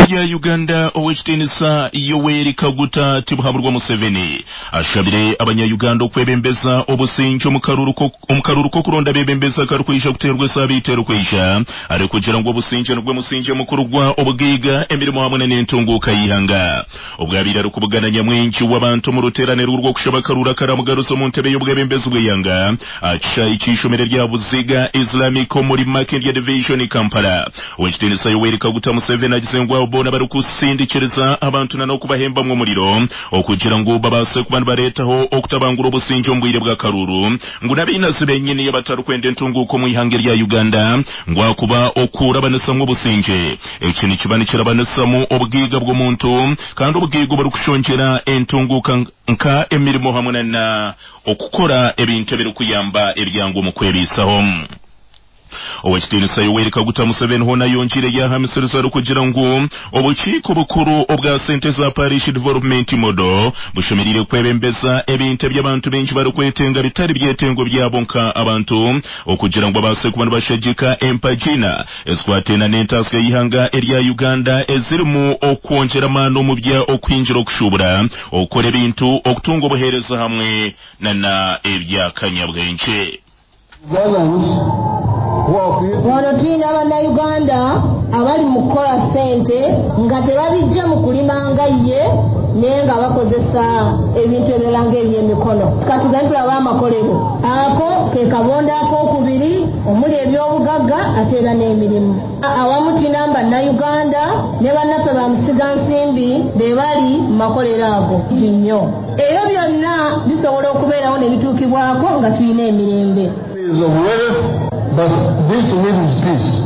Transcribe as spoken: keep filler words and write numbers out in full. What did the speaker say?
Erya Uganda, Owekitiinisa Yoweri Kaguta Tibuhaburwa Museveni ashabire abanya-Uganda okwebembeza obusingye omu karuuru k'okuronda abebembezi akarikwija kuteerwa esaabiiti erikwija, arikugira ngu obusingye nigwo musingye mukuru gwa obugaiga, emirimo hamwe n'entunguuka y'eihanga. Obwabaire arikubugana nyamwingi w'abantu omu ruteeraniro rw'okushaba akaruuru akaramugaruza omu ntebe y'obwebembezi bw'eihanga aha kishaayi ky'eishomero rya Buziga Islamic omuri Makindye Division, Kampala, Owekitiinisa Yoweri Kaguta Museveni agize ngu abo boona barikusindikiriza abantu n'okubahembamu omuriro okugira ngu babaase kuba nibareetaho okutabangura obusingye omu bwire bw'akaruuru, ngu n'abainazi benyini abatarikwenda entunguuka omu ihanga erya Uganda, ngu akuba okurabanisamu obusingye eki nikiba nikirabanisamu obugaiga bw'omuntu, kandi obugaiga oburikushongyera entunguuka nka emirimo hamwe na okukora ebintu ebirikuyamba ebyangu omu kwebiisaho. Owekitiinisa Yoweri Kaguta Museveni hoona yongiire yahamisiriza arikugira ngu obukiiko bukuru obwa sente za Parish Development Model bushemereire kwebembeza ebintu eby'abantu baingi barikwetenga, bitari byetengo byabo nka abantu, okugira ngu babaase kuba nibashagika empagina ezikwatena n'entaasya y'ihanga erya Uganda ezirimu okwongyera amaani omu bya okuhingira, okushuubura, okukora ebintu, okutunga obuheereza hamwe na ebyakanyabwengye. Wano tulina Bannayuganda abali mu kukola ssente nga tebabijja mu kulima nga ye, naye nga bakozesa ebintu ebirala ng'ebyemikono. Katugende tulabe amakolero ako ke kabondo ak'okubiri omuli ebyobugagga ate era n'emirimu. Awamu tulina Bannayuganda ne bannaffe ba musigansimbi be bali mu makolero ago nnyo. Ebyo byonna bisobola okubeerawo ne bituukibwako nga tulina emirembe. Of wealth, but this needs peace.